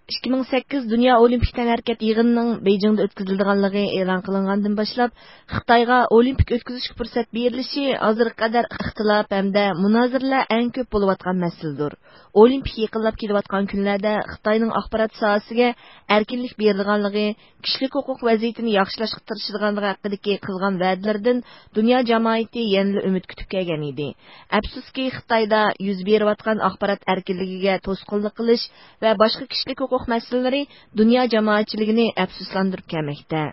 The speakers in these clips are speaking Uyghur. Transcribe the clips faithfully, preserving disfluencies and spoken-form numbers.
ئىككى مىڭ سەككىز دۇنيا ئولىمپىك تەنھەرىكەت يىغىنىنىڭ بېيجىڭدا ئۆتكۈزۈلىدىغانلىقى ئېلان قىلىنغاندىن باشلاپ، خىتايغا ئولىمپىك ئۆتكۈزۈشكە پۇرسەت بېرىلىشى ھازىرغا قەدەر ئىختىلاپ ھەمدە مۇنازىرىلەر ئەڭ كۆپ بولۇۋاتقان مەسىلىدۇر. ئولىمپىك يېقىنلاپ كېلىۋاتقان كۈنلەردە خىتاينىڭ ئاخبارات ساھەسىگە ئەركىنلىك بېرىدىغانلىقى، كىشىلىك ھوقۇق ۋەزىيىتىنى ياخشىلاشقا تىرىشىدىغانلىقى ھەققىدىكى قىلغان ۋەدىلىرىدىن دۇنيا جامائىتى يەنىلا ئۈمىد كۈتۈپ كەلگەن ئىدى. ئەپسۇسكى، خىتايدا يۈز بېرىۋاتقان ئاخبارات ئەركىنلىكىگە توسقۇنلۇق قىلىش ۋە باشقا كىشىلىك ھوقۇق مەسىلىلىرى دۇنيا جامائەتچىلىكىنى ئەپسۇسلاندۇرۇپ كەلمەكتە.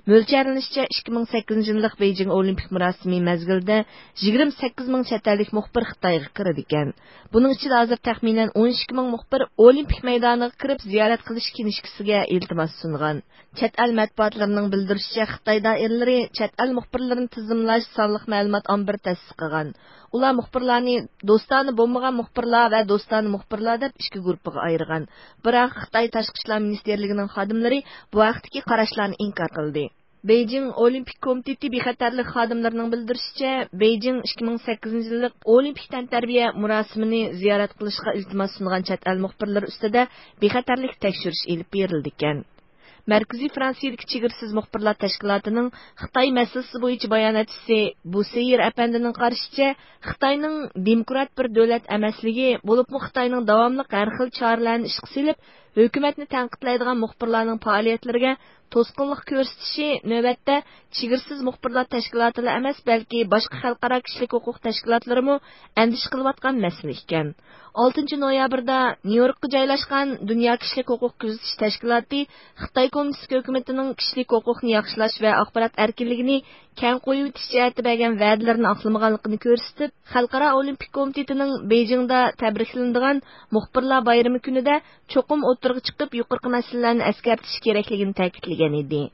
مۆلچەرلىنىشىچە، ئىككى مىڭ سەككىزىنچى يىللىق بېيجىڭ ئولىمپىك مۇراسىمى مەزگىلىدە يىگىرمە سەككىز مىڭ چەت ئەللىك مۇخبىر خىتايغا كىرىدىكەن. بۇنىڭ ئىچىدە ھازىر تەخمىنەن ئون ئىككى مىڭ مۇخبىر ئولىمپىك مەيدانىغا كىرىپ زىيارەت قىلىش كىنىشكىسىگە ئىلتىماس سۇنغان. چەت ئەل مەتبۇئاتلىرىنىڭ بىلدۈرۈشىچە، خىتاي دائىرىلىرى چەت ئەل مۇخبىرلىرىنى تىزىملاش سانلىق مەلۇمات ئامبىرى تەسىس قىلغان. ئۇلار مۇخبىرلارنى دوستانە بولمىغان مۇخبىرلار ۋە دوستانە مۇخبىرلار دەپ ئىككى گۇرۇپپىغا ئايرىغان. بىراق خىتاي تاشقى ئىشلار مىنىستىرلىكىنىڭ خادىملىرى بۇ ھەقتىكى قاراشلارنى ئىنكار قىلدى. بېيجىڭ ئولىمپىك كومىتېتى بىخەتەرلىك خادىملىرىنىڭ بىلدۈرۈشىچە، بېيجىڭ ئىككى مىڭ سەككىزىنچى يىللىق ئولىمپىك تەنتەربىيە مۇراسىمىنى زىيارەت قىلىشقا ئىلتىماس سۇنغان چەت ئەل مۇخبىرلىرى ئۈستىدە بىخەتەرلىك تەكشۈرۈش ئېلىپ بېرىلىدىكەن. مەركىزىي فرانسىيەدىكى چېگرىسىز مۇخبىرلار تەشكىلاتىنىڭ خىتاي مەسىلىسى بويىچە باياناتچىسى بۇسېيىر ئەپەندىنىڭ قارىشىچە، خىتاينىڭ دېموكرات بىر دۆلەت ئەمەسلىكى، بولۇپمۇ خىتاينىڭ داۋاملىق ھەر خىل چارىلەرنى ئىشقا سېلىپ، ھۆكۈمەتنى تەنقىدلەيدىغان مۇخبىرلارنىڭ پائالىيەتلىرىگە توسقۇنلۇق كۆرسىتىشى نۆۋەتتە چېگرىسىز مۇخبىرلار تەشكىلاتىلا ئەمەس، بەلكى باشقا خەلقئارا كىشىلىك ھوقۇق تەشكىلاتلىرىمۇ ئەندىشە قىلىۋاتقان مەسىلە ئىكەن. ئالتىنچى نويابىردا نيۇ يوركقا جايلاشقان دۇنيا كىشىلىك ھوقۇق كۆزىتىش تەشكىلاتى خىتاي كوممۇنىستىك ھۆكۈمىتىنىڭ كىشىلىك ھوقۇقنى ياخشىلاش ۋە ئاخبارات ئەركىنلىكىنى كەڭ قويۇۋېتىش جەھەتتە بەرگەن ۋەدىلىرىنى ئاقلىمىغانلىقىنى كۆرسىتىپ، خەلقئارا ئولىمپىك كومىتېتىنىڭ بېيجىڭدا تەبرىكلىنىدىغان مۇخبىرلار بايرىمى كۈنىدە چوقۇم ئوتتۇرىغا چىقىپ، يۇقىرىقى مەسىلىلەرنى ئەسكەرتىشى كېرەكلىكىنى تەكىتلىگەن ئىدى.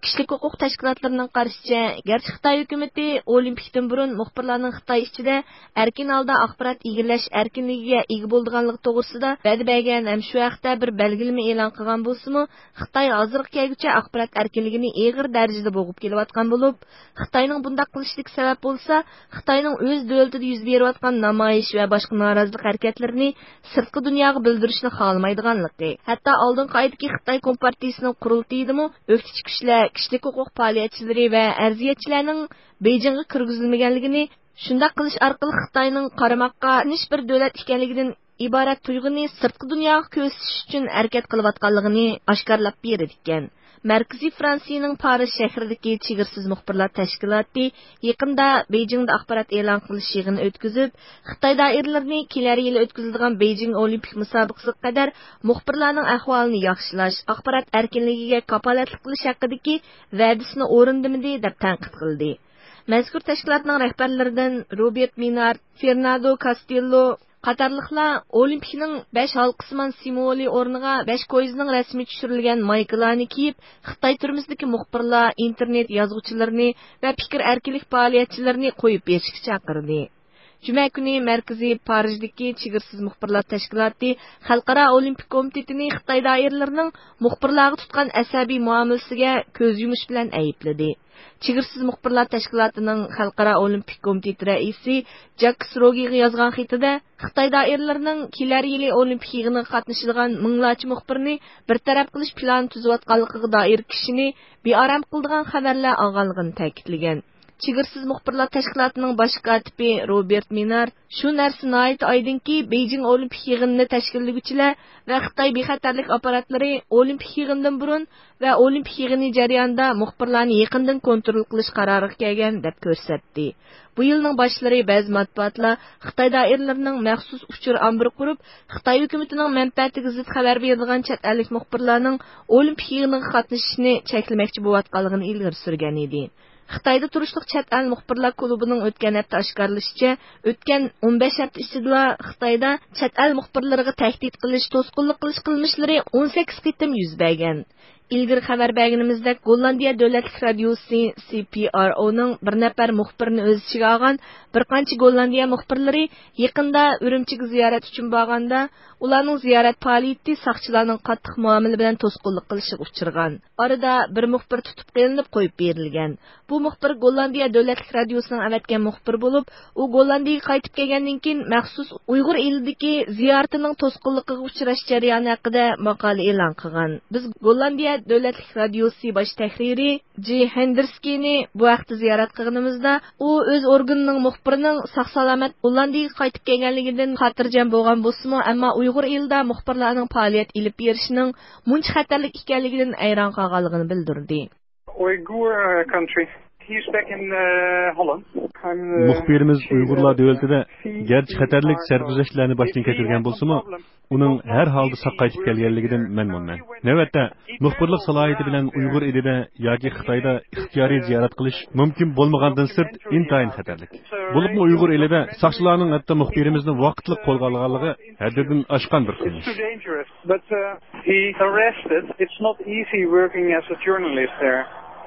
كىشىلىك ھوقۇق تەشكىلاتلىرىنىڭ قارىشىچە، گەرچە خىتاي ھۆكۈمىتى ئولىمپىكتىن بۇرۇن مۇخبىرلارنىڭ خىتاي ئىچىدە ئەركىن ھالدا ئاخبارات ئىگىلەش ئەركىنلىكىگە ئىگە بولىدىغانلىقى توغرىسىدا ۋەدە بەرگەن ھەم شۇ ھەقتە بىر بەلگىلىمە ئېلان قىلغان بولسىمۇ، خىتاي ھازىرغا كەلگۈچە ئاخبارات ئەركىنلىكىنى ئېغىر دەرىجىدە بوغۇپ كېلىۋاتقان بولۇپ، خىتاينىڭ بۇنداق قىلىشىدىكى سەۋەب بولسا، خىتاينىڭ ئۆز دۆلىتىدە يۈز بېرىۋاتقان نامايىش ۋە باشقا نارازىلىق ھەرىكەتلىرىنى سىرتقى دۇنياغا بىلدۈرۈشنى خالىمايدىغانلىقى، ھەتتا ئالدىنقى ئايدىكى خىتاي كومپارتىيىسىنىڭ قۇرۇلتىيىدىمۇ ئۆكتىچى كۈچلەر، كىشىلىك ھوقۇق پائالىيەتچىلىرى ۋە ئەرزىيەتچىلەرنىڭ بېيجىڭغا كىرگۈزۈلمىگەنلىكىنى، شۇنداق قىلىش ئارقىلىق خىتاينىڭ قارىماققا تىنچ بىر دۆلەت ئىكەنلىكىدىن ئىبارەت تۇيغۇنى سىرتقى دۇنياغا كۆرسىتىش ئۈچۈن ھەرىكەت قىلىۋاتقانلىقىنى ئاشكارىلاپ بېرىدىكەن. مەركىزىي فرانسىيىنىڭ پارىژ شەھىرىدىكى چېگرىسىز مۇخبىرلار تەشكىلاتى يېقىندا بېيجىڭدا ئاخبارات ئېلان قىلىش يىغىنى ئۆتكۈزۈپ، خىتاي دائىرىلىرىنى كېلەر يىلى ئۆتكۈزۈلىدىغان بېيجىڭ ئولىمپىك مۇسابىقىسىگە قەدەر مۇخبىرلارنىڭ ئەھۋالىنى ياخشىلاش، ئاخبارات ئەركىنلىكىگە كاپالەتلىك قىلىش ھەققىدىكى ۋەدىسىنى ئورۇندىمىدى، دەپ تەنقىد قىلدى. مەزكۇر تەشكىلاتنىڭ رەھبەرلىرىدىن روبېرت مىنار، فېرناندو كاستېللو قاتارلىقلار ئولىمپىكنىڭ بەش ھالقىسىمان سىمۋولى ئورنىغا بەش كويزىنىڭ رەسىمى چۈشۈرۈلگەن مايكىلارنى كىيىپ، خىتاي تۈرمىسىدىكى مۇخبىرلار، ئىنتېرنېت يازغۇچىلىرىنى ۋە پىكىر ئەركىنلىك پائالىيەتچىلىرىنى قويۇپ بېرىشكە چاقىردى. جۈمە كۈنى مەركىزى پارىژدىكى چېگرىسىز مۇخبىرلار تەشكىلاتى خەلقئارا ئولىمپىك كومىتېتىنى خىتاي دائىرىلىرىنىڭ مۇخبىرلارغا تۇتقان ئەسەبىي مۇئامىلىسىگە كۆز يۇمۇش بىلەن ئەيىبلىدى. چېگرىسىز مۇخبىرلار تەشكىلاتىنىڭ خەلقئارا ئولىمپىك كومىتېتى رەئىسى جاكس روگىغا يازغان خېتىدە، خىتاي دائىرىلىرىنىڭ كېلەر يىلى ئولىمپىك يىغىنىغا قاتنىشىدىغان مىڭلارچە مۇخبىرنى بىر تەرەپ قىلىش پىلانى تۈزۈۋاتقانلىقىغا دائىر كىشىنى بىئارام قىلىدىغان خەۋەرلەر ئالغانلىقىنى تەكىتلىگەن. چېگرىسىز مۇخبىرلار تەشكىلاتىنىڭ باش كاتىپى روبېرت مىنار، شۇ نەرسە ناھايىتى ئايدىڭكى، بېيجىڭ ئولىمپىك يىغىنىنى تەشكىللىگۈچىلەر ۋە خىتاي بىخەتەرلىك ئاپپاراتلىرى ئولىمپىك يىغىنىدىن بۇرۇن ۋە ئولىمپىك يىغىنى جەريانىدا مۇخبىرلارنى يېقىندىن كونترول قىلىش قارارىغا كەلگەن، دەپ كۆرسەتتى. بۇ يىلنىڭ باشلىرى بەزى مەتبۇئاتلار خىتاي دائىرىلىرىنىڭ مەخسۇس ئۇچۇر ئامبىرى قۇرۇپ، خىتاي ھۆكۈمىتىنىڭ مەنپەئەتىگە زىت خەۋەر بېرىدىغان چەت ئەللىك مۇخبىرلارنىڭ ئولىمپىك يىغىنىغا قاتنىشىشىنى چەكلىمەكچى بولۇۋاتقانلىقىنى ئىلگىرى سۈرگەن ئىدى. خىتايدا تۇرۇشلۇق چەت ئەل مۇخبىرلار كۇلۇبىنىڭ ئۆتكەن ھەپتە ئاشكارىلىشىچە، ئۆتكەن ئون بەش ھەپتە ئىچىدىلا خىتايدا چەت ئەل مۇخبىرلىرىغا تەھدىت قىلىش، توسقۇنلۇق قىلىش قىلمىشلىرى ئون سەككىز قېتىم يۈز بەرگەن. ئىلگىرى خەۋەر بەرگىنىمىزدەك، گوللاندىيە دۆلەتلىك رادىيوسى سى پى ئار ئونىڭ بىر نەپەر مۇخبىرىنى ئۆز ئىچىگە ئالغان بىر قانچە گوللاندىيە مۇخبىرلىرى يېقىندا ئۈرۈمچىگە زىيارەت ئۈچۈن بارغاندا، ئۇلارنىڭ زىيارەت پائالىيىتى ساقچىلارنىڭ قاتتىق مۇئامىلە بىلەن توسقۇنلۇق قىلىشىغا ئۇچرىغان. ئارىدا بىر مۇخبىر تۇتۇپ قېلىنىپ قويۇپ بېرىلگەن. بۇ مۇخبىر گوللاندىيە دۆلەتلىك رادىيوسىنىڭ ئەۋەتكەن مۇخبىرى بولۇپ، ئۇ گوللاندىيىگە قايتىپ كەلگەندىن كېيىن مەخسۇس ئۇيغۇر ئېلىدىكى زىيارىتىنىڭ توسقۇنلۇقىغا ئۇچراش جەريانى ھەققىدە ماقالە ئېلان قىلغان. بىز گوللاندىيە دۆلەتلىك رادىيوسى باش تەھرىرى جى ھېندرسكىنى بۇ ھەقتە زىيارەت قىلغىنىمىزدا، ئۇ ئۆز ئورگىنىنىڭ مۇخبىرىنىڭ ساق-سالامەت گوللاندىيىگە قايتىپ كەلگەنلىكىدىن خاتىرجەم بولغان بولسىمۇ، ئەمما ئۇيغۇر ئېلىدا مۇخبىرلارنىڭ پائالىيەت ئېلىپ بېرىشىنىڭ مۇنچە خەتەرلىك ئىكەنلىكىدىن ھەيران قالغانلىقىنى بىلدۈردى. Uyghur, uh, country. He's back in, uh, Holland. I'm, uh, مۇخبىرىمىز ئۇيغۇرلار دۆلىتىدە گەرچە خەتەرلىك سەرگۈزەشتلەرنى باشتىن كەچۈرگەن بولسىمۇ، ئۇنىڭ ھەر ھالدا ساق قايتىپ كەلگەنلىكىدىن مەمنۇنمەن. نۆۋەتتە، مۇخبىرلىق سالاھىيىتى بىلەن ئۇيغۇر ئېلىدە ياكى خىتايدا ئىختىيارىي زىيارەت قىلىش مۇمكىن بولمىغاندىن سىرت ئىنتايىن خەتەرلىك. بولۇپمۇ ئۇيغۇر ئېلىدە ساقچىلارنىڭ ھەتتا مۇخبىرىمىزنى ۋاقىتلىق قولغا ئالغانلىقى ھەددىدىن ئاشقان بىر قىلمىش. But, uh, he arrested. It's not easy working as a journalist there,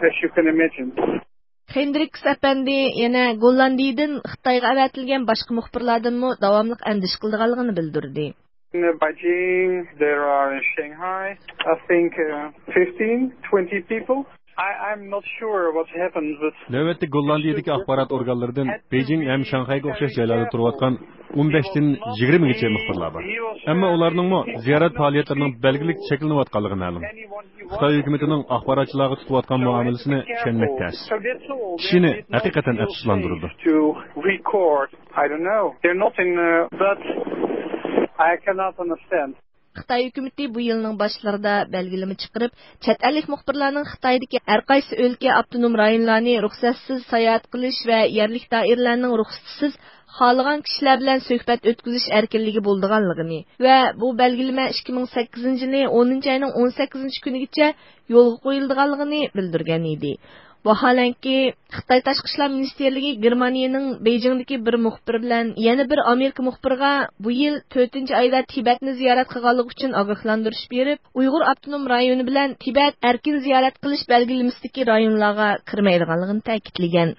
as you can imagine. خېندرىكس ئەپەندى يەنە گوللاندىيىدىن خىتايغا ئەۋەتىلگەن باشقا مۇخبىرلاردىنمۇ داۋاملىق ئەندىشە قىلىدىغانلىقىنى بىلدۈردى. In Beijing, there are in Shanghai, I think, uh, fifteen, twenty people. I, I'm not sure what happened, but نۆۋەتتە گوللاندىيىدىكى ئاخبارات ئورگانلىرىدىن بېيجىڭ ھەم شاڭخەيگە ئوخشاش جايلاردا تۇرۇۋاتقان ئون بەشتىن يىگىرمىگىچە مۇخبىرلار بار. ئەمما ئۇلارنىڭمۇ زىيارەت پائالىيەتلىرىنىڭ بەلگىلىك چەكلىنىۋاتقانلىقى مەلۇم. خىتاي ھۆكۈمىتىنىڭ ئاخباراتچىلارغا تۇتۇۋاتقان مۇئامىلىسىنى چۈشەنمەك تەس. كىشىنى ھەقىقەتەن ئەپسۇسلاندۇرىدۇ. To record, I don't know. They're not in, uh, but I cannot understand. خىتاي ھۆكۈمىتى بۇ يىلنىڭ باشلىرىدا بەلگىلىمە چىقىرىپ، چەت ئەللىك مۇخبىرلارنىڭ خىتايدىكى ھەر قايسى ئۆلكە، ئاپتونوم رايونلارنى رۇخسەتسىز ساياھەت قىلىش ۋە يەرلىك دائىرىلەرنىڭ رۇخسىتىسىز خالىغان كىشىلەر بىلەن سۆھبەت ئۆتكۈزۈش ئەركىنلىكى بولىدىغانلىقىنى ۋە بۇ بەلگىلىمە ئىككى مىڭ سەككىزىنچى يىلى ئونىنچى ئاينىڭ ئون سەككىزىنچى كۈنىگىچە يولغا قويۇلىدىغانلىقىنى بىلدۈرگەن ئىدى. ۋاھالەنكى، خىتاي تاشقى ئىشلار مىنىستىرلىكى گېرمانىيەنىڭ بېيجىڭدىكى بىر مۇخبىرى بىلەن يەنە بىر ئامېرىكا مۇخبىرىغا بۇ يىل تۆتىنچى ئايدا تىبەتنى زىيارەت قىلغانلىقى ئۈچۈن ئاگاھلاندۇرۇش بېرىپ، ئۇيغۇر ئاپتونوم رايونى بىلەن تىبەت ئەركىن زىيارەت قىلىش بەلگىلىمىسىدىكى رايونلارغا كىرمەيدىغانلىقىنى تەكىتلىگەن.